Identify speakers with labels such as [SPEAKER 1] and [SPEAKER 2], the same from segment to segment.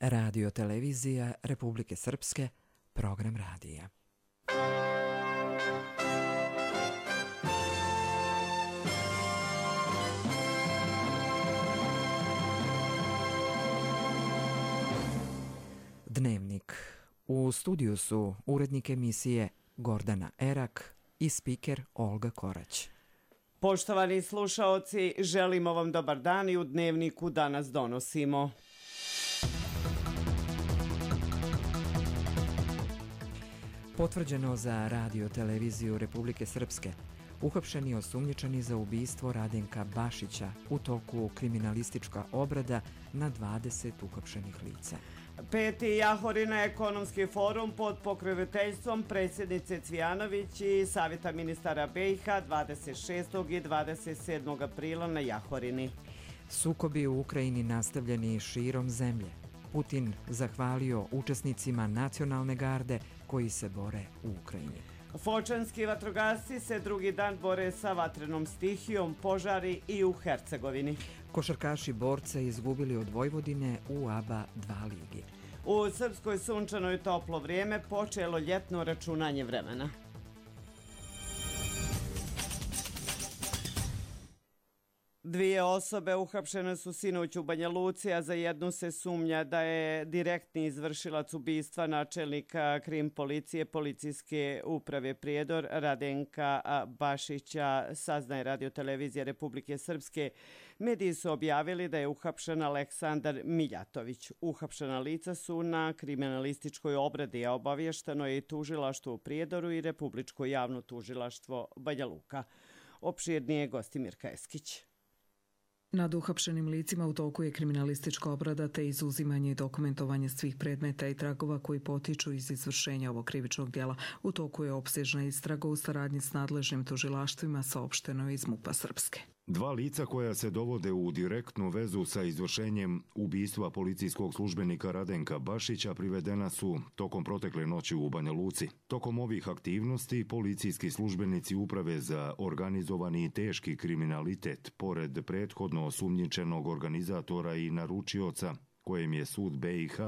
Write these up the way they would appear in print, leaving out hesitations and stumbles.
[SPEAKER 1] Radio televizija Republike Srpske, program radija. Dnevnik. U studiju su urednik emisije Gordana Erak i spiker Olga Korać.
[SPEAKER 2] Poštovani slušaoci, želimo vam dobar dan i u Dnevniku danas donosimo.
[SPEAKER 1] Potvrđeno za radio televiziju Republike Srpske. Uhapšeni osumnjičeni za ubistvo Radenka Bašića u toku kriminalistička obrada na 20 uhapšenih lica.
[SPEAKER 2] 5. Jahorina ekonomski forum pod pokroviteljstvom predsjednice Cvijanović i Savjeta ministara BiH 26. i 27. aprila na Jahorini.
[SPEAKER 1] Sukobi u Ukrajini nastavljeni širom zemlje. Putin zahvalio učesnicima nacionalne garde koji se bore u Ukrajini.
[SPEAKER 2] Fočanski vatrogasci se drugi dan bore sa vatrenom stihijom, požari i u Hercegovini.
[SPEAKER 1] Košarkaši borce izgubili od Vojvodine u ABA 2 ligi.
[SPEAKER 2] U Srpskoj sunčano i toplo vrijeme, počelo ljetno računanje vremena. Dvije osobe uhapšene su sinoć u Banja Luci, a za jednu se sumnja da je direktni izvršilac ubistva načelnika krim policije Policijske uprave Prijedor Radenka Bašića, saznaje Radio televizija Republike Srpske. Mediji su objavili da je uhapšen Aleksandar Miljatović. Uhapšena lica su na kriminalističkoj obradi, a obavješteno je i tužilaštvo u Prijedoru i Republičko javno tužilaštvo Banja Luka. Opširnije Gostimirka Eskić.
[SPEAKER 3] Nad uhapšenim licima u toku je kriminalistička obrada te izuzimanje i dokumentovanje svih predmeta i tragova koji potiču iz izvršenja ovog krivičnog djela. U toku je opsežna istraga u saradnji s nadležnim tužilaštvima, saopšteno iz MUP-a Srpske.
[SPEAKER 4] Dva lica koja se dovode u direktnu vezu sa izvršenjem ubistva policijskog službenika Radenka Bašića privedena su tokom protekle noći u Banja Luci. Tokom ovih aktivnosti policijski službenici Uprave za organizovani i teški kriminalitet, pored prethodno osumnjičenog organizatora i naručioca, kojem je sud BiH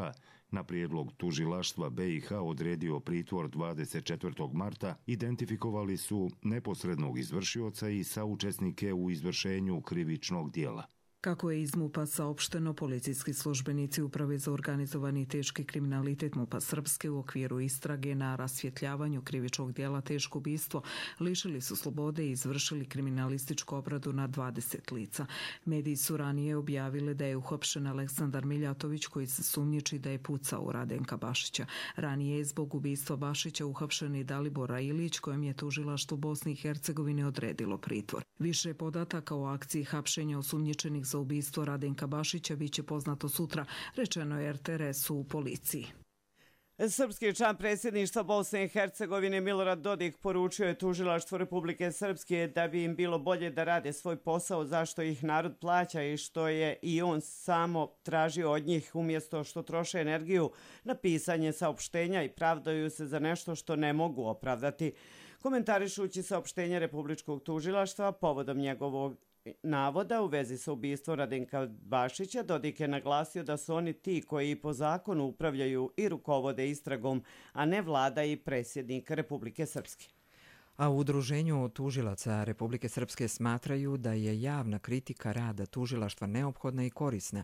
[SPEAKER 4] na prijedlog tužilaštva BiH odredio pritvor 24. marta, identifikovali su neposrednog izvršioca i saučesnike u izvršenju krivičnog djela.
[SPEAKER 3] Kako je iz MUP-a saopšteno, policijski službenici Uprave za organizovani i teški kriminalitet MUP-a Srpske u okviru istrage na rasvjetljavanju krivičnog djela teško ubistvo lišili su slobode i izvršili kriminalističku obradu na 20 lica. Mediji su ranije objavili da je uhapšen Aleksandar Miljatović koji se sumnjiči da je pucao u Radenka Bašića. Ranije je zbog ubistva Bašića uhapšen i Dalibor Ilić kojem je tužilaštvo Bosne i Hercegovine odredilo pritvor. Više podataka o akciji hapšenja osumnjičenih za ubistvo Radenka Bašića biće poznato sutra, rečeno je RTS-u u policiji.
[SPEAKER 2] Srpski član predsjedništva Bosne i Hercegovine Milorad Dodik poručio je tužilaštvu Republike Srpske da bi im bilo bolje da rade svoj posao zašto ih narod plaća i što je i on samo tražio od njih umjesto što troše energiju na pisanje saopštenja i pravdaju se za nešto što ne mogu opravdati. Komentarišući saopštenje Republičkog tužilaštva povodom njegovog navoda u vezi sa ubistvom Radenka Bašića, Dodik je naglasio da su oni ti koji po zakonu upravljaju i rukovode istragom, a ne vlada i predsjednik Republike Srpske.
[SPEAKER 1] A u Udruženju tužilaca Republike Srpske smatraju da je javna kritika rada tužilaštva neophodna i korisna,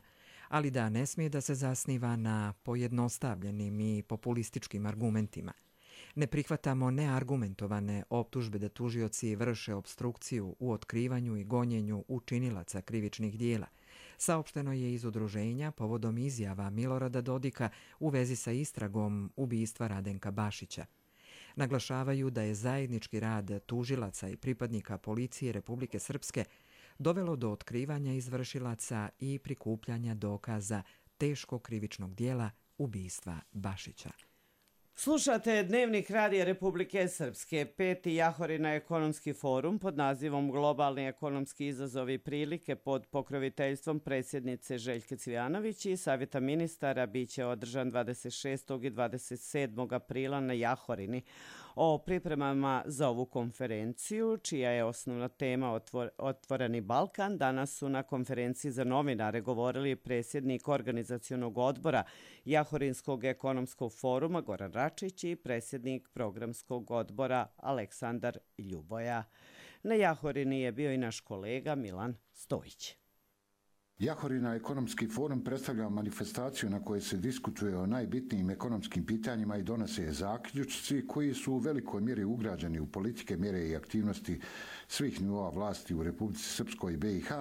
[SPEAKER 1] ali da ne smije da se zasniva na pojednostavljenim i populističkim argumentima. Ne prihvatamo neargumentovane optužbe da tužioci vrše opstrukciju u otkrivanju i gonjenju učinilaca krivičnih dijela. Saopšteno je iz udruženja povodom izjava Milorada Dodika u vezi sa istragom ubistva Radenka Bašića. Naglašavaju da je zajednički rad tužilaca i pripadnika policije Republike Srpske dovelo do otkrivanja izvršilaca i prikupljanja dokaza teškog krivičnog dijela ubistva Bašića.
[SPEAKER 2] Slušate Dnevnik Radija Republike Srpske. 5. Jahorina ekonomski forum pod nazivom Globalni ekonomski izazovi i prilike pod pokroviteljstvom predsjednice Željke Cvijanović i Savjeta ministara biće održan 26. i 27. aprila na Jahorini. O pripremama za ovu konferenciju, čija je osnovna tema Otvoreni Balkan, danas su na konferenciji za novinare govorili predsjednik organizacionog odbora Jahorinskog ekonomskog foruma Goran Račić i predsjednik programskog odbora Aleksandar Ljuboja. Na Jahorini je bio i naš kolega Milan Stojić.
[SPEAKER 5] Jahorina ekonomski forum predstavlja manifestaciju na kojoj se diskutuje o najbitnijim ekonomskim pitanjima i donose zaključci koji su u velikoj mjeri ugrađeni u politike, mjere i aktivnosti svih nivoa vlasti u Republici Srpskoj i BiH,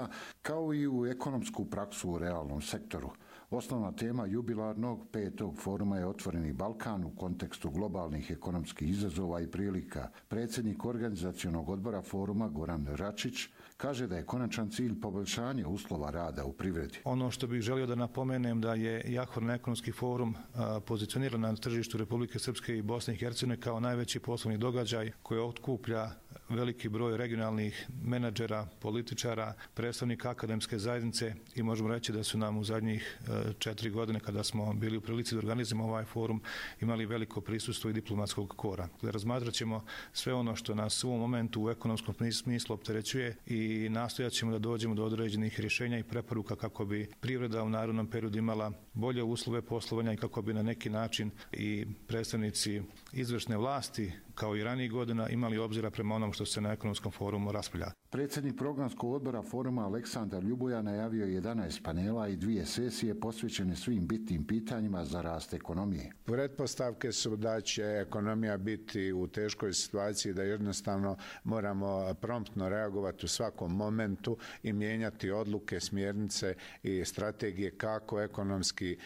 [SPEAKER 5] kao i u ekonomsku praksu u realnom sektoru. Osnovna tema jubilarnog 5. foruma je Otvoreni Balkan u kontekstu globalnih ekonomskih izazova i prilika. Predsjednik organizacionog odbora foruma Goran Račić kaže da je konačan cilj poboljšanje uslova rada u privredi.
[SPEAKER 6] Ono što bih želio da napomenem da je Jahorin ekonomski forum pozicioniran na tržištu Republike Srpske i Bosne i Hercegovine kao najveći poslovni događaj koji otkuplja veliki broj regionalnih menadžera, političara, predstavnika akademske zajednice i možemo reći da su nam u zadnjih 4 godine kada smo bili u prilici da organizujemo ovaj forum imali veliko prisustvo i diplomatskog kora. Razmatrat ćemo sve ono što nas u ovom momentu u ekonomskom smislu opterećuje i nastojat ćemo da dođemo do određenih rješenja i preporuka kako bi privreda u narednom periodu imala bolje uslove poslovanja i kako bi na neki način i predstavnici izvršne vlasti kao i ranijih godina imali obzira prema onom što se na ekonomskom forumu raspravlja.
[SPEAKER 5] Predsjednik programskog odbora foruma Aleksandar Ljuboja najavio 11 panela i 2 sesije posvećene svim bitnim pitanjima za rast ekonomije.
[SPEAKER 7] Pretpostavke su da će ekonomija biti u teškoj situaciji, da jednostavno moramo promptno reagovati u svakom momentu i mijenjati odluke, smjernice i strategije kako ekonomski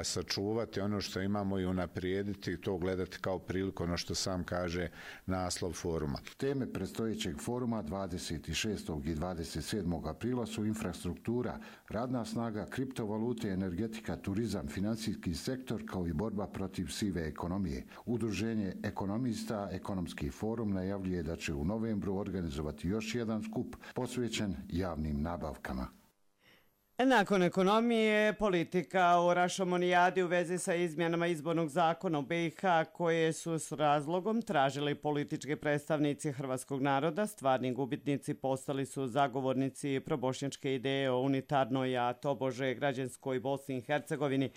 [SPEAKER 7] sačuvati ono što imamo i unaprijediti i to gledati kao priliku, ono što sam kaže naslov foruma.
[SPEAKER 5] Teme predstojećeg foruma 26. i 27. aprila su infrastruktura, radna snaga, kriptovalute, energetika, turizam, financijski sektor kao i borba protiv sive ekonomije. Udruženje ekonomista Ekonomski forum najavljuje da će u novembru organizovati još jedan skup posvećen javnim nabavkama.
[SPEAKER 2] Nakon ekonomije, politika o rašomonijadi u vezi sa izmjenama izbornog zakona u BiH koje su s razlogom tražili politički predstavnici hrvatskog naroda, stvarni gubitnici postali su zagovornici probošnjačke ideje o unitarnoj, a tobože građanskoj Bosni i Hercegovini,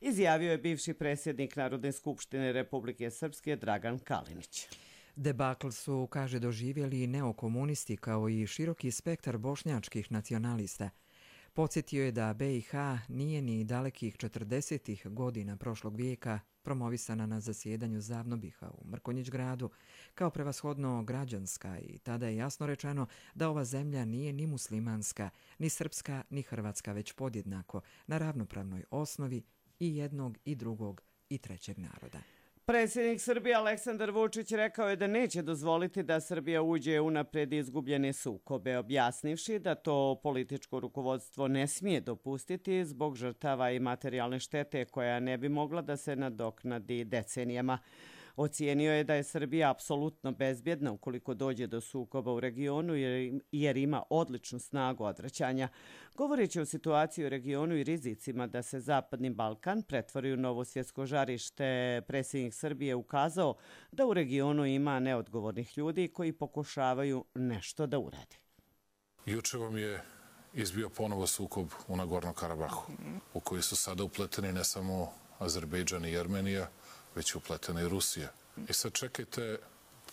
[SPEAKER 2] izjavio je bivši predsjednik Narodne skupštine Republike Srpske Dragan Kalinić.
[SPEAKER 1] Debakl su, kaže, doživjeli i neokomunisti kao i široki spektar bošnjačkih nacionalista. Podsjetio je da BiH nije ni dalekih 40. godina prošlog vijeka promovisana na zasjedanju Zavnobiha u Mrkonjić gradu kao prevashodno građanska i tada je jasno rečeno da ova zemlja nije ni muslimanska, ni srpska, ni hrvatska, već podjednako na ravnopravnoj osnovi i jednog i drugog i trećeg naroda.
[SPEAKER 2] Predsjednik Srbije Aleksandar Vučić rekao je da neće dozvoliti da Srbija uđe u napred izgubljene sukobe, objasnivši da to političko rukovodstvo ne smije dopustiti zbog žrtava i materijalne štete koja ne bi mogla da se nadoknadi decenijama. Ocijenio je da je Srbija apsolutno bezbjedna ukoliko dođe do sukoba u regionu jer ima odličnu snagu odvraćanja. Govoreći o situaciji u regionu i rizicima da se Zapadni Balkan pretvori u novo svjetsko žarište, predsjednik Srbije ukazao da u regionu ima neodgovornih ljudi koji pokušavaju nešto da urade.
[SPEAKER 8] Juče vam je izbio ponovo sukob u Nagornom Karabahu, u koji su sada upleteni ne samo Azerbejdžan i Jermenija, već je upletena i Rusija. I sad čekajte,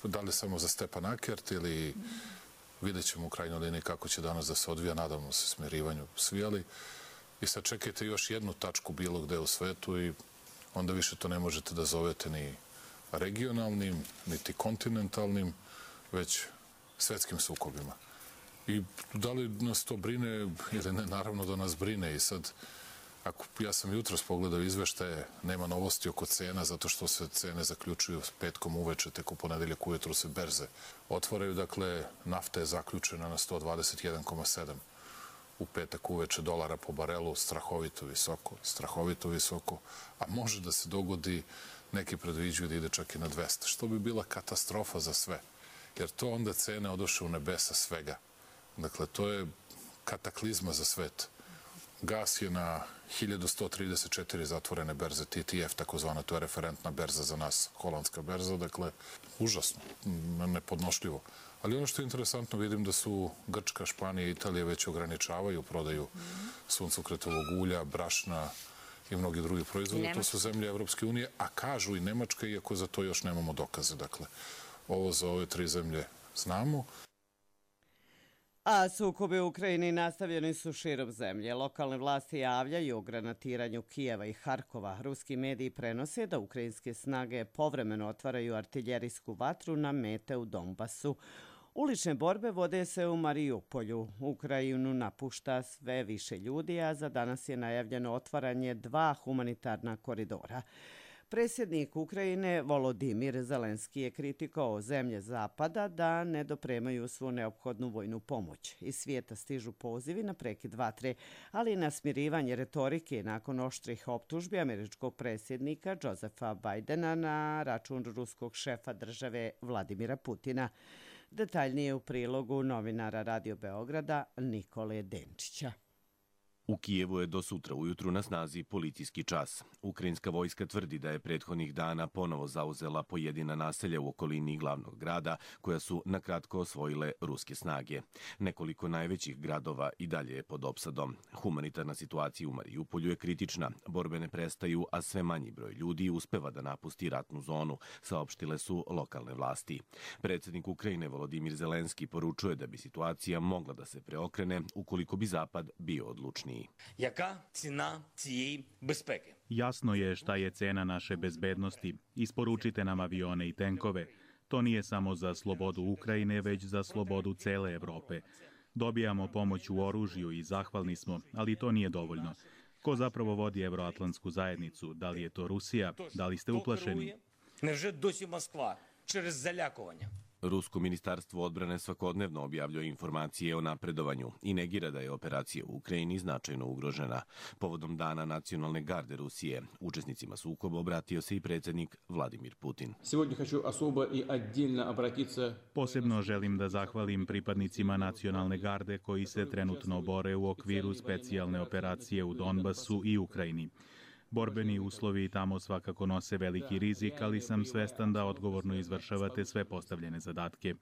[SPEAKER 8] da li samo za Stepan Akert ili vidjet ćemo u krajnjoj liniji kako će danas da se odvija, nadamo se smirivanju svi, ali i sad čekajte još jednu tačku bilo gde u svetu i onda više to ne možete da zovete ni regionalnim, niti kontinentalnim, već svetskim sukobima. I da li nas to brine ili ne, naravno da nas brine i sad ja sam jutros pogledao izveštaje, nema novosti oko cena, zato što se cene zaključuju petkom uveče, tek u ponedeljak ujutru se berze otvaraju. Dakle, nafta je zaključena na 121,7 u petak uveče dolara po barelu, strahovito visoko, a može da se dogodi, neki predviđuju da ide čak i na 200, što bi bila katastrofa za sve, jer to onda cene odoše u nebesa svega. Dakle, to je kataklizma za svet. gas je na 1134 zatvorene berze TTF, takozvana, to je referentna berza za nas, holandska berza, dakle, užasno, nepodnošljivo. Ali ono što je interesantno, vidim da su Grčka, Španija i Italija već ograničavaju prodaju suncokretovog ulja, brašna i mnogi drugi proizvode. To su zemlje Evropske unije, a kažu i Nemačka, iako za to još nemamo dokaze. Dakle, ovo za ove 3 zemlje znamo.
[SPEAKER 2] A sukobi u Ukrajini nastavljeni su širom zemlje. Lokalne vlasti javljaju o granatiranju Kijeva i Harkova. Ruski mediji prenose da ukrajinske snage povremeno otvaraju artiljerijsku vatru na mete u Donbasu. Ulične borbe vode se u Mariupolju. Ukrajinu napušta sve više ljudi, a za danas je najavljeno otvaranje 2 humanitarna koridora. Predsjednik Ukrajine Volodimir Zelenski je kritikovao zemlje Zapada da ne dopremaju svu neophodnu vojnu pomoć. Iz svijeta stižu pozivi na prekid vatre, ali i na smirivanje retorike nakon oštrih optužbi američkog predsjednika Josefa Bajdena na račun ruskog šefa države Vladimira Putina. Detaljnije u prilogu novinara Radio Beograda Nikole Denčića.
[SPEAKER 9] U Kijevu je do sutra ujutru na snazi policijski čas. Ukrajinska vojska tvrdi da je prethodnih dana ponovo zauzela pojedina naselja u okolini glavnog grada, koja su nakratko osvojile ruske snage. Nekoliko najvećih gradova i dalje je pod opsadom. Humanitarna situacija u Mariupolju je kritična. Borbe ne prestaju, a sve manji broj ljudi uspeva da napusti ratnu zonu, saopštile su lokalne vlasti. Predsjednik Ukrajine Volodimir Zelenski poručuje da bi situacija mogla da se preokrene ukoliko bi Zapad bio odlučniji.
[SPEAKER 10] Яка ціна цієї безпеки?
[SPEAKER 11] Jasno je šta je cena naše bezbednosti. Isporučite nam avione i tenkove. To nije samo za slobodu Ukrajine, već za slobodu cele Evrope. Dobijamo pomoć u oružju i zahvalni smo, ali to nije dovoljno. Ko zapravo vodi Evroatlantsku zajednicu? Da li je to Rusija? Da li ste uplašeni?
[SPEAKER 10] Невже досі Москва через залякування?
[SPEAKER 9] Rusko ministarstvo odbrane svakodnevno objavljuje informacije o napredovanju i negira da je operacija u Ukrajini značajno ugrožena. Povodom Dana nacionalne garde Rusije, učesnicima sukoba obratio se i predsjednik Vladimir Putin.
[SPEAKER 11] Posebno želim da zahvalim pripadnicima nacionalne garde koji se trenutno bore u okviru specijalne operacije u Donbasu i Ukrajini. Borbeni uslovi tamo svakako nose veliki rizik, ali sam svestan da odgovorno izvršavate sve postavljene zadatke.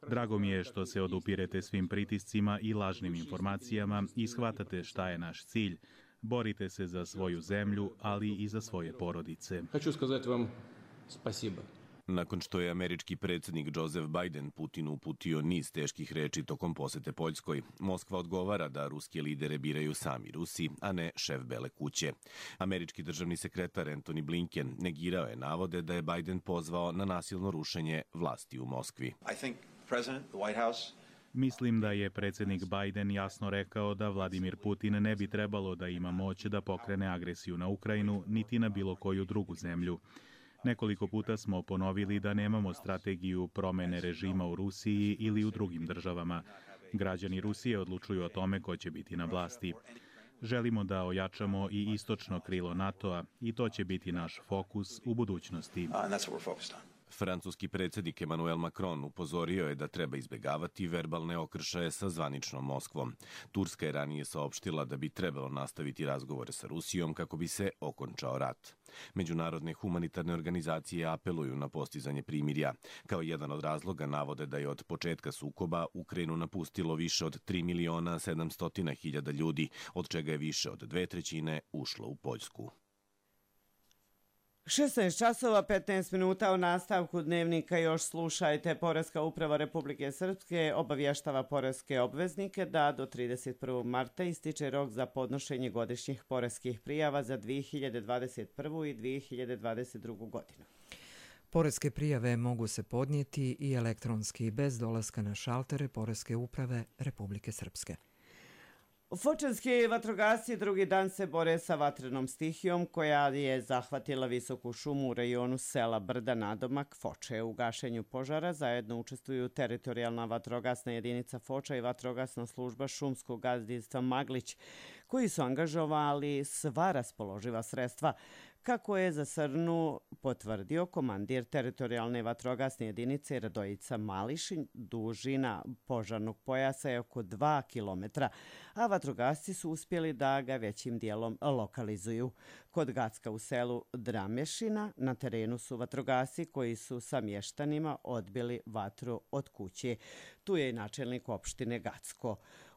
[SPEAKER 11] Drago mi je što se odupirete svim pritiscima i lažnim informacijama i shvatate šta je naš cilj. Borite se za svoju zemlju, ali i za svoje porodice.
[SPEAKER 12] Хочу сказать вам спасибо.
[SPEAKER 9] Nakon što je američki predsjednik Joseph Biden Putinu uputio niz teških reči tokom posete Poljskoj, Moskva odgovara da ruske lidere biraju sami Rusi, a ne šef Bele kuće. Američki državni sekretar Antony Blinken negirao je navode da je Biden pozvao na nasilno rušenje vlasti u Moskvi.
[SPEAKER 11] Mislim da je predsjednik Biden jasno rekao da Vladimir Putin ne bi trebalo da ima moć da pokrene agresiju na Ukrajinu, niti na bilo koju drugu zemlju. Nekoliko puta smo ponovili da nemamo strategiju promene režima u Rusiji ili u drugim državama. Građani Rusije odlučuju o tome ko će biti na vlasti. Želimo da ojačamo i istočno krilo NATO-a i to će biti naš fokus u budućnosti.
[SPEAKER 9] Francuski predsjednik Emmanuel Macron upozorio je da treba izbjegavati verbalne okršaje sa zvaničnom Moskvom. Turska je ranije saopštila da bi trebalo nastaviti razgovore sa Rusijom kako bi se okončao rat. Međunarodne humanitarne organizacije apeluju na postizanje primirja. Kao jedan od razloga navode da je od početka sukoba Ukrajinu napustilo više od 3.700.000 ljudi, od čega je više od 2/3 ušlo u Poljsku.
[SPEAKER 2] 16 časova 15 minuta u nastavku dnevnika još slušajte. Poreska uprava Republike Srpske obavještava poreske obveznike da do 31. marta ističe rok za podnošenje godišnjih poreskih prijava za 2021. i 2022. godinu.
[SPEAKER 1] Poreske prijave mogu se podnijeti i elektronski bez dolaska na šaltere Poreske uprave Republike Srpske.
[SPEAKER 2] Fočanski vatrogasci drugi dan se bore sa vatrenom stihijom koja je zahvatila visoku šumu u rajonu sela Brda nadomak Foče. U gašenju požara zajedno učestvuju teritorijalna vatrogasna jedinica Foča i vatrogasna služba šumskog gazdinstva Maglić, koji su angažovali sva raspoloživa sredstva, kako je za Srnu potvrdio komandir teritorijalne vatrogasne jedinice Radojica Mališin. Dužina požarnog pojasa je oko 2 kilometra, a vatrogasci su uspjeli da ga većim dijelom lokalizuju. Kod Gacka u selu Dramešina na terenu su vatrogasci koji su sa mještanima odbili vatru od kuće. Tu je i načelnik opštine Gacko.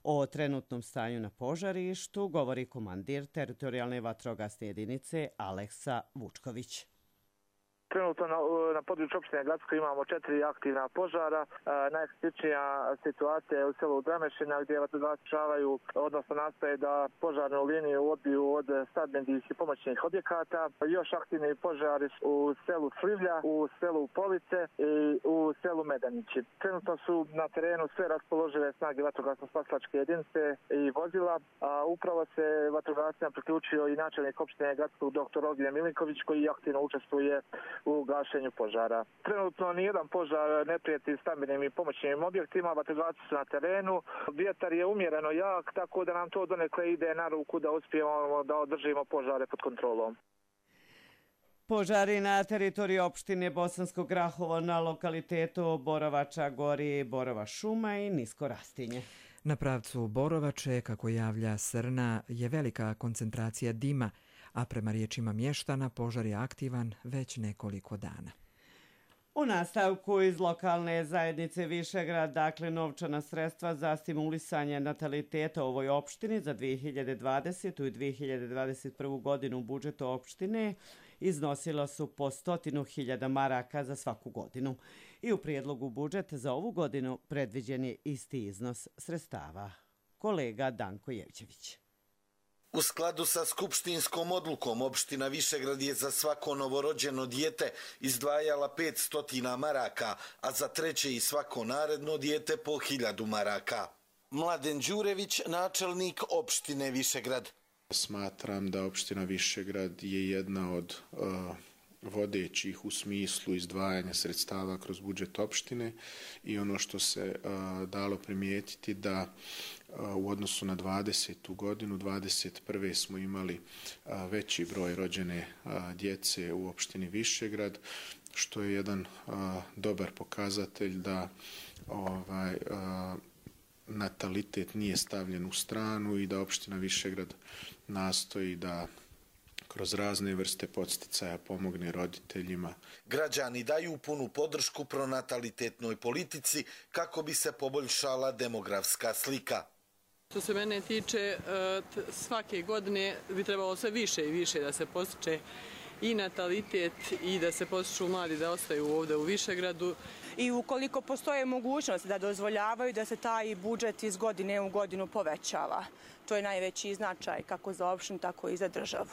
[SPEAKER 2] O trenutnom stanju na požarištu govori komandir teritorijalne vatrogasne jedinice Aleksa Vučković.
[SPEAKER 13] Trenutno na području opštine Gacko imamo 4 aktivna požara. Najkritičnija situacija je u selu Dramešina gdje vatrogasci pokušavaju, odnosno nastoje da požarnu liniju odbiju od stambenih i pomoćnih objekata. Još aktivni požari u selu Slivlja, u selu Police i u selu Medanići. Trenutno su na terenu sve raspoložive snage vatrogasno-spasilačke jedinice i vozila. Upravo se vatrogascima priključio i načelnik opštine Gacko dr. Ognjen Milinković koji aktivno učestvuje u gašenju požara. Trenutno nijedan požar ne prijeti stambenim i pomoćnim objektima, vatrogasci su na terenu. Vjetar je umjereno jak, tako da nam to donekle ide na ruku da uspijemo da održimo požare pod kontrolom.
[SPEAKER 2] Požari na teritoriji opštine Bosansko Grahovo na lokalitetu Borovača gori Borova šuma i nisko rastinje.
[SPEAKER 1] Na pravcu Borovače, kako javlja Srna, je velika koncentracija dima, a prema riječima mještana požar je aktivan već nekoliko dana.
[SPEAKER 2] U nastavku iz lokalne zajednice Višegrad, dakle novčana sredstva za stimulisanje nataliteta u ovoj opštini za 2020. i 2021. godinu u budžetu opštine iznosila su po 100.000 maraka za svaku godinu. I u prijedlogu budžeta za ovu godinu predviđen je isti iznos sredstava. Kolega Danko Jevđević.
[SPEAKER 14] U skladu sa skupštinskom odlukom, opština Višegrad je za svako novorođeno dijete izdvajala 500 maraka, a za treće i svako naredno dijete po 1000 maraka. Mladen Đurević, načelnik opštine Višegrad.
[SPEAKER 15] Smatram da opština Višegrad je jedna od vodećih u smislu izdvajanja sredstava kroz budžet opštine i ono što se dalo primijetiti da u odnosu na 20. godinu, 21. smo imali veći broj rođene djece u opštini Višegrad, što je jedan dobar pokazatelj da natalitet nije stavljen u stranu i da opština Višegrad nastoji da kroz razne vrste podsticaja pomogne roditeljima.
[SPEAKER 14] Građani daju punu podršku pronatalitetnoj politici kako bi se poboljšala demografska slika.
[SPEAKER 16] Što se mene tiče, svake godine bi trebalo sve više i više da se postiče i natalitet i da se postiču mladi da ostaju ovdje u Višegradu.
[SPEAKER 17] I ukoliko postoje mogućnost da dozvoljavaju da se taj budžet iz godine u godinu povećava. To je najveći značaj kako za opštinu, tako i za državu.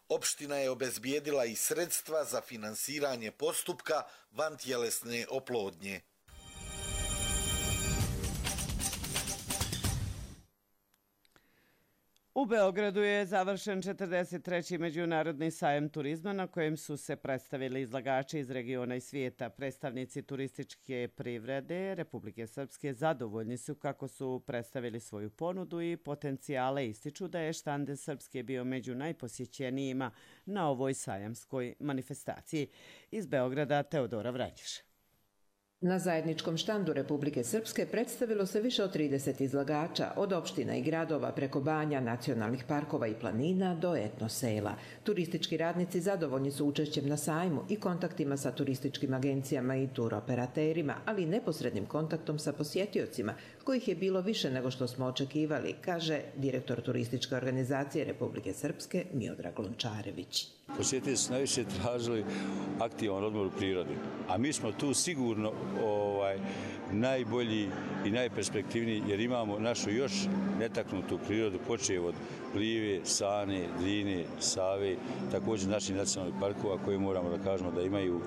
[SPEAKER 14] Opština je obezbijedila i sredstva za finansiranje postupka vantjelesne oplodnje.
[SPEAKER 2] U Beogradu je završen 43. međunarodni sajam turizma na kojem su se predstavili izlagači iz regiona i svijeta. Predstavnici turističke privrede Republike Srpske zadovoljni su kako su predstavili svoju ponudu i potencijale, ističu da je štand Srpske bio među najposjećenijima na ovoj sajamskoj manifestaciji. Iz Beograda Teodora Vranjiš.
[SPEAKER 18] Na zajedničkom štandu Republike Srpske predstavilo se više od 30 izlagača, od opština i gradova preko banja, nacionalnih parkova i planina do etnosela. Turistički radnici zadovoljni su učešćem na sajmu i kontaktima sa turističkim agencijama i turoperaterima, ali i neposrednim kontaktom sa posjetiocima, kojih je bilo više nego što smo očekivali, kaže direktor turističke organizacije Republike Srpske Miodrag Lončarević.
[SPEAKER 19] Posjetitelji su najviše tražili aktivan odmor u prirodi, a mi smo tu sigurno najbolji i najperspektivniji jer imamo našu još netaknutu prirodu, počev od Plive, Sane, Drine, Save, također naših nacionalnih parkova koji moramo da kažemo da imaju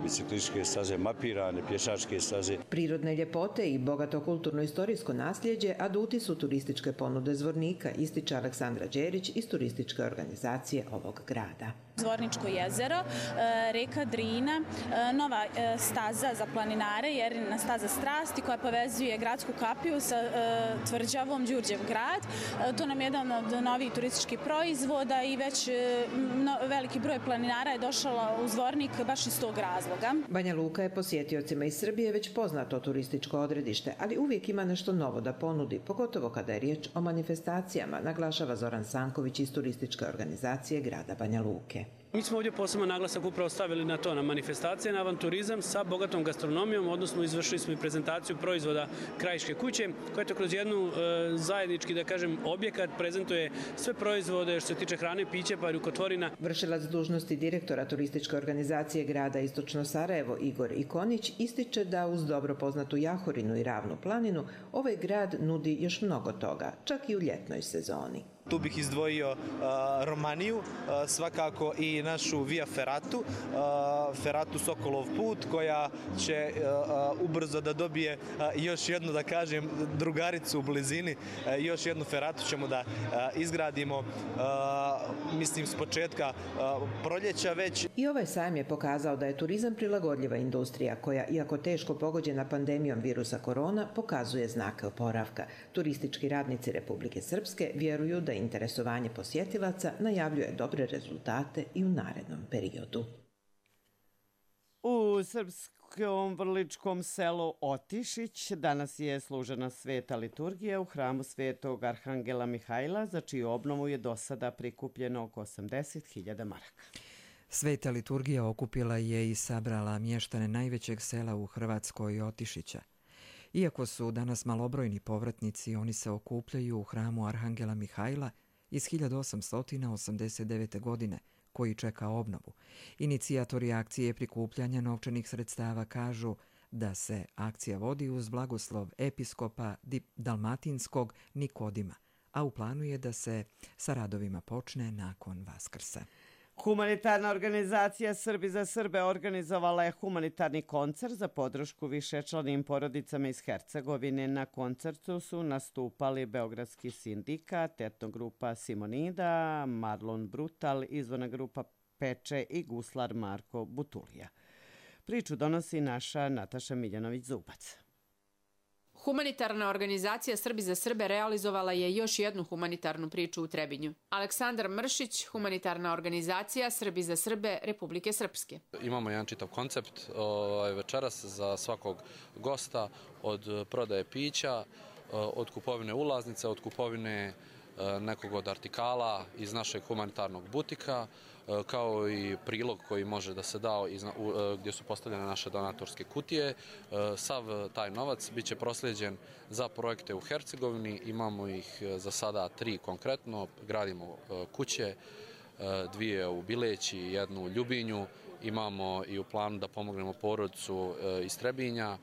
[SPEAKER 19] biciklističke staze, mapirane pješačke staze.
[SPEAKER 18] Prirodne ljepote i bogato kulturno-istorijsko nasljeđe aduti su turističke ponude Zvornika, ističe Aleksandra Đerić iz turističke organizacije ovog grada.
[SPEAKER 20] Zvorničko jezero, reka Drina, nova staza za planinare, Jerina staza strasti koja povezuje gradsku kapiju sa tvrđavom Đurđev grad. To nam je jedan od novih turističkih proizvoda i već veliki broj planinara je došao u Zvornik baš iz tog razloga.
[SPEAKER 18] Banja Luka je posjetiocima iz Srbije već poznato turističko odredište, ali uvijek ima nešto novo da ponudi, pogotovo kada je riječ o manifestacijama, naglašava Zoran Sanković iz turističke organizacije grada Banja Luke.
[SPEAKER 21] Mi smo ovdje posebno naglasak upravo stavili na to, na manifestacije, na avanturizam sa bogatom gastronomijom, odnosno izvršili smo i prezentaciju proizvoda Krajiške kuće, koja to kroz jednu zajednički, da kažem, objekat prezentuje sve proizvode što se tiče hrane, piće pa i rukotvorina.
[SPEAKER 18] Vršilac dužnosti direktora turističke organizacije grada Istočno Sarajevo Igor Ikonić ističe da uz dobro poznatu Jahorinu i Ravnu planinu ovaj grad nudi još mnogo toga, čak i u ljetnoj sezoni.
[SPEAKER 22] Tu bih izdvojio Romaniju, svakako i našu Via Ferratu, Ferratu Sokolov put, koja će ubrzo da dobije još jednu, da kažem, drugaricu u blizini. Još jednu Ferratu ćemo da izgradimo, mislim, s početka proljeća već.
[SPEAKER 18] I ovaj sajam je pokazao da je turizam prilagodljiva industrija koja, iako teško pogođena pandemijom virusa korona, pokazuje znake oporavka. Turistički radnici Republike Srpske vjeruju da interesovanje posjetilaca najavljuje dobre rezultate i u narednom periodu.
[SPEAKER 2] U srpskom vrličkom selu Otišić danas je služena sveta liturgija u hramu svetog Arhangela Mihajla, za čiju obnovu je do sada prikupljeno oko 80.000 maraka.
[SPEAKER 1] Sveta liturgija okupila je i sabrala mještane najvećeg sela u Hrvatskoj Otišića. Iako su danas malobrojni povratnici, oni se okupljaju u hramu Arhangela Mihajla iz 1889. godine, koji čeka obnovu. Inicijatori akcije prikupljanja novčanih sredstava kažu da se akcija vodi uz blagoslov episkopa Dalmatinskog Nikodima, a u planu je da se sa radovima počne nakon Vaskrsa.
[SPEAKER 2] Humanitarna organizacija Srbi za Srbe organizovala je humanitarni koncert za podršku višečlanim porodicama iz Hercegovine. Na koncertu su nastupali Beogradski sindikat, etnogrupa Simonida, Marlon Brutal, izvorna grupa Peče i guslar Marko Butulija. Priču donosi naša Nataša Miljanović-Zubac.
[SPEAKER 23] Humanitarna organizacija Srbi za Srbe realizovala je još jednu humanitarnu priču u Trebinju. Aleksandar Mršić, humanitarna organizacija Srbi za Srbe Republike Srpske.
[SPEAKER 24] Imamo jedan čitav koncept večeras za svakog gosta, od prodaje pića, od kupovine ulaznice, od kupovine nekog od artikala iz našeg humanitarnog butika, kao i prilog koji može da se da gdje su postavljene naše donatorske kutije. Sav taj novac biće proslijeđen za projekte u Hercegovini. Imamo ih za sada 3 konkretno. Gradimo kuće, 2 u Bileći, 1 u Ljubinju. Imamo i u planu da pomognemo porodicu iz Trebinja.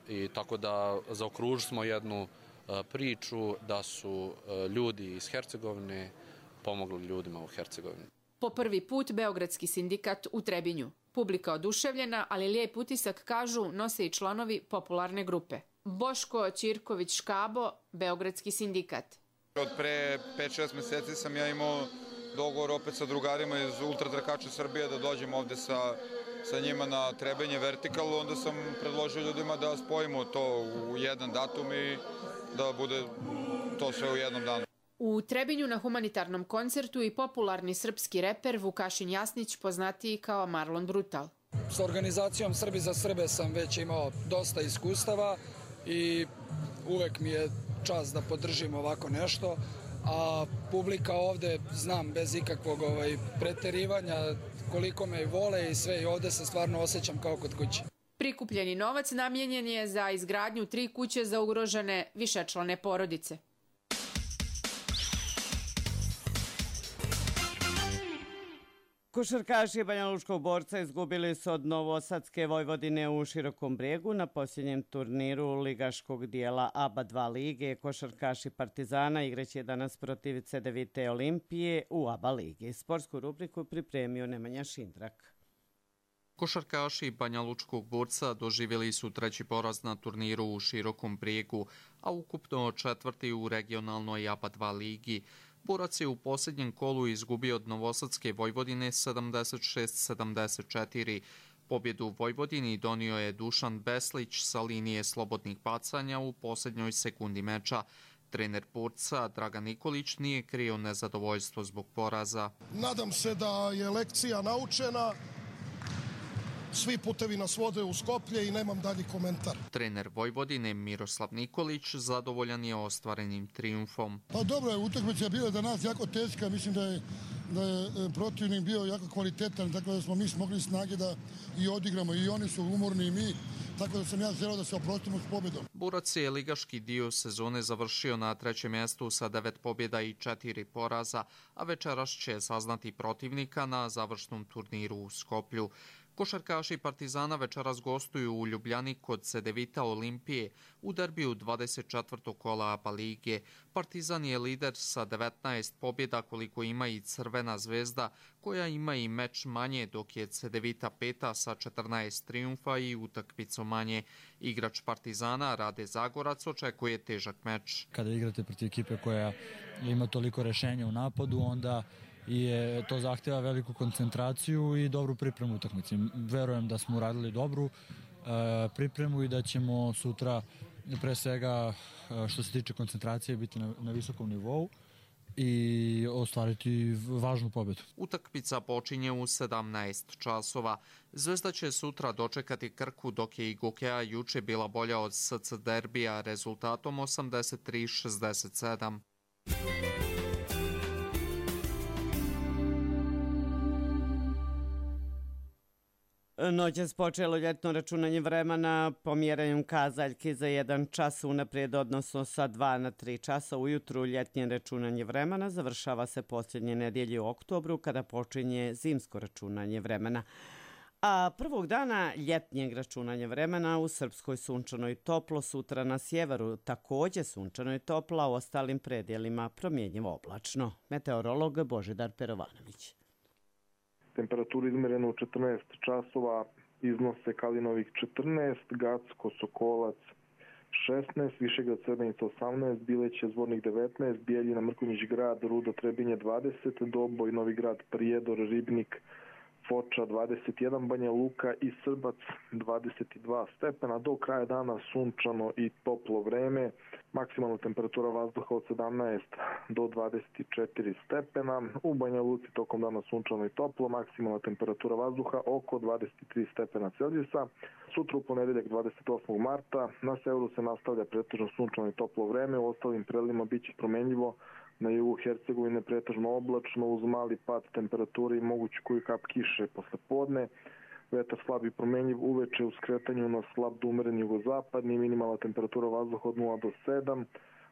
[SPEAKER 24] I tako da zaokružili smo jednu priču da su ljudi iz Hercegovine pomogli ljudima u Hercegovini.
[SPEAKER 23] Po prvi put Beogradski sindikat u Trebinju. Publika oduševljena, ali lijep utisak, kažu, nose i članovi popularne grupe. Boško Ćirković-Škabo, Beogradski sindikat.
[SPEAKER 25] Od pre 5-6 mjeseci sam ja imao dogovor opet sa drugarima iz ultratrkača Srbije da dođem ovde sa njima na Trebinje vertikalu. Onda sam predložio ljudima da spojimo to u jedan datum i da bude to sve u jednom danu.
[SPEAKER 23] U Trebinju na humanitarnom koncertu i popularni srpski reper Vukašin Jasnić, poznatiji kao Marlon Brutal.
[SPEAKER 26] S organizacijom Srbi za Srbe sam već imao dosta iskustava i uvek mi je čast da podržim ovako nešto, a publika ovde, znam bez ikakvog preterivanja koliko me vole i sve, i ovde se stvarno osjećam kao kod kuće.
[SPEAKER 23] Prikupljeni novac namijenjen je za izgradnju 3 kuće za ugrožene višečlane porodice.
[SPEAKER 2] Košarkaši Banjalučkog Borca izgubili su od Novosadske Vojvodine u Širokom Brijegu na posljednjem turniru ligaškog dijela ABA 2 lige. Košarkaši Partizana igraće danas protiv Cedevite Olimpije u ABA ligi. Sportsku rubriku pripremio Nemanja Šindrak.
[SPEAKER 27] Košarkaši Banjalučkog Borca doživjeli su 3. poraz na turniru u Širokom Brijegu, a ukupno 4. u regionalnoj ABA 2 ligi. Borac je u posljednjem kolu izgubio od Novosadske Vojvodine 76-74. Pobjedu Vojvodini donio je Dušan Beslić sa linije slobodnih bacanja u posljednjoj sekundi meča. Trener Burca Dragan Nikolić nije krio nezadovoljstvo zbog poraza.
[SPEAKER 3] Nadam se da je lekcija naučena. Svi putevi nas vode u Skoplje i nemam dalji komentar.
[SPEAKER 27] Trener Vojvodine Miroslav Nikolić zadovoljan je ostvarenim trijumfom.
[SPEAKER 3] Pa dobro je, utakmica je bila za nas jako teška, mislim da je protivnik bio jako kvalitetan, tako da smo mi smogli snage da i odigramo, i oni su umorni i mi, tako da sam ja želeo da se oprostimo s pobjedom.
[SPEAKER 27] Borac je ligaški dio sezone završio na 3. mjestu sa 9 pobjeda i 4 poraza, a večeras će saznati protivnika na završnom turniru u Skoplju. Košarkaši Partizana večeras gostuju u Ljubljani kod Cedevita Olimpije u derbiju 24. kola ABA lige. Partizan je lider sa 19 pobjeda koliko ima i Crvena zvezda, koja ima i meč manje, dok je Cedevita peta sa 14 trijumfa i utakmicu manje. Igrač Partizana Rade Zagorac očekuje težak meč.
[SPEAKER 4] Kada igrate protiv ekipe koja ima toliko rešenja u napadu, onda to zahtjeva veliku koncentraciju i dobru pripremu utakmice. Verujem da smo uradili dobru pripremu i da ćemo sutra, pre svega što se tiče koncentracije, biti na visokom nivou i ostvariti važnu pobjedu.
[SPEAKER 27] Utakmica počinje u 17 časova. Zvezda će sutra dočekati Krku, dok je i Gokeja juče bila bolja od SC derbija rezultatom 83-67.
[SPEAKER 2] Noćas počelo ljetno računanje vremena pomjeranjem kazaljke za 1 čas unaprijed, odnosno sa 2 na 3 časa ujutru. Ljetnje računanje vremena završava se posljednje nedjelje u oktobru, kada počinje zimsko računanje vremena. A prvog dana ljetnjeg računanja vremena u Srpskoj sunčano i toplo, sutra na sjeveru također sunčano i toplo, a u ostalim predjelima promjenjivo oblačno. Meteorolog Božidar Perovanović.
[SPEAKER 5] Temperaturu izmjerenu u 14 časova iznose Kalinovik 14, Gacko, Sokolac 16, Višegrad, Srebrenica 18, Bileće, Zvornik 19, Bijeljina, Mrkonjić grad, Rudo, Trebinje 20, Doboj, Novi grad, Prijedor, Ribnik, Foča 21, Banja Luka i Srbac 22 stepena. Do kraja dana sunčano i toplo vreme. Maksimalna temperatura vazduha od 17 do 24 stepena. U Banja Luci tokom dana sunčano i toplo. Maksimalna temperatura vazduha oko 23 stepena Celzijusa. Sutra u ponedeljak 28. marta na severu se nastavlja pretežno sunčano i toplo vreme. U ostalim predelima biće promenljivo. Na jugu Hercegovine pretežno oblačno uz mali pad temperature i mogući koju kap kiše posle podne. Vetar slab i promenjiv uveče u skretanju na slab do umeren jugozapadni, minimalna temperatura vazduha od 0 do 7,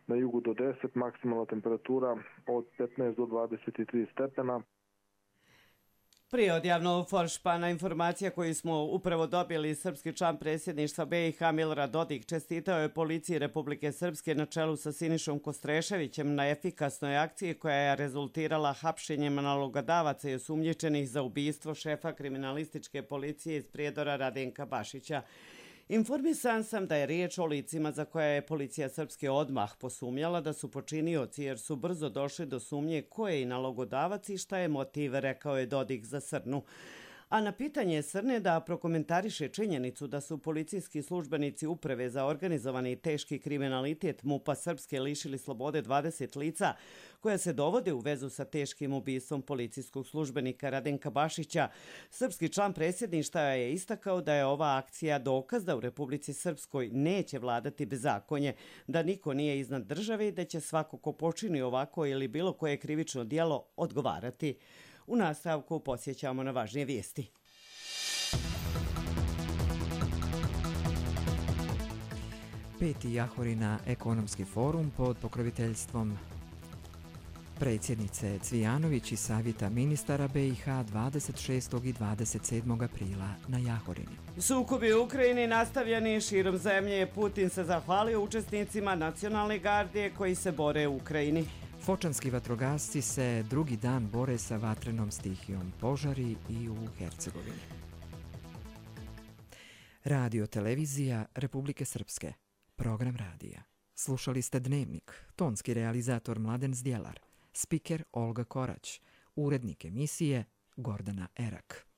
[SPEAKER 5] na jugu do 10, maksimalna temperatura od 15 do 23 stepena.
[SPEAKER 2] Prije odjavnog Foršpana informacija koju smo upravo dobili, srpski član predsjedništva BiH Milorad Dodik čestitao je policiji Republike Srpske na čelu sa Sinišom Kostreševićem na efikasnoj akciji koja je rezultirala hapšenjem nalogodavaca i osumnjičenih za ubistvo šefa kriminalističke policije iz Prijedora Radenka Bašića. Informisan sam da je riječ o licima za koja je policija Srpske odmah posumnjala da su počinioci, jer su brzo došli do sumnje ko je i nalogodavac i šta je motiv, rekao je Dodik za Srnu. A na pitanje Srne da prokomentariše činjenicu da su policijski službenici Uprave za organizovani i teški kriminalitet MUP-a Srpske lišili slobode 20 lica koja se dovode u vezu sa teškim ubistvom policijskog službenika Radenka Bašića, srpski član predsjedništva je istakao da je ova akcija dokaz da u Republici Srpskoj neće vladati bezakonje, da niko nije iznad države i da će svako ko počini ovako ili bilo koje krivično djelo odgovarati. U nastavku posjećamo na važnije vijesti.
[SPEAKER 1] Peti Jahorina ekonomski forum pod pokroviteljstvom predsjednice Cvijanović i savjeta ministara BiH 26. i 27. aprila na Jahorini.
[SPEAKER 2] Sukobi u Ukrajini nastavljeni širom zemlje. Putin se zahvalio učesnicima nacionalne gardije koji se bore u Ukrajini.
[SPEAKER 1] Fočanski vatrogasci se drugi dan bore sa vatrenom stihijom, požari i u Hercegovini. Radio televizija Republike Srpske. Program radija. Slušali ste Dnevnik. Tonski realizator Mladen Zdjelar. spiker Olga Korać, urednik emisije Gordana Erak.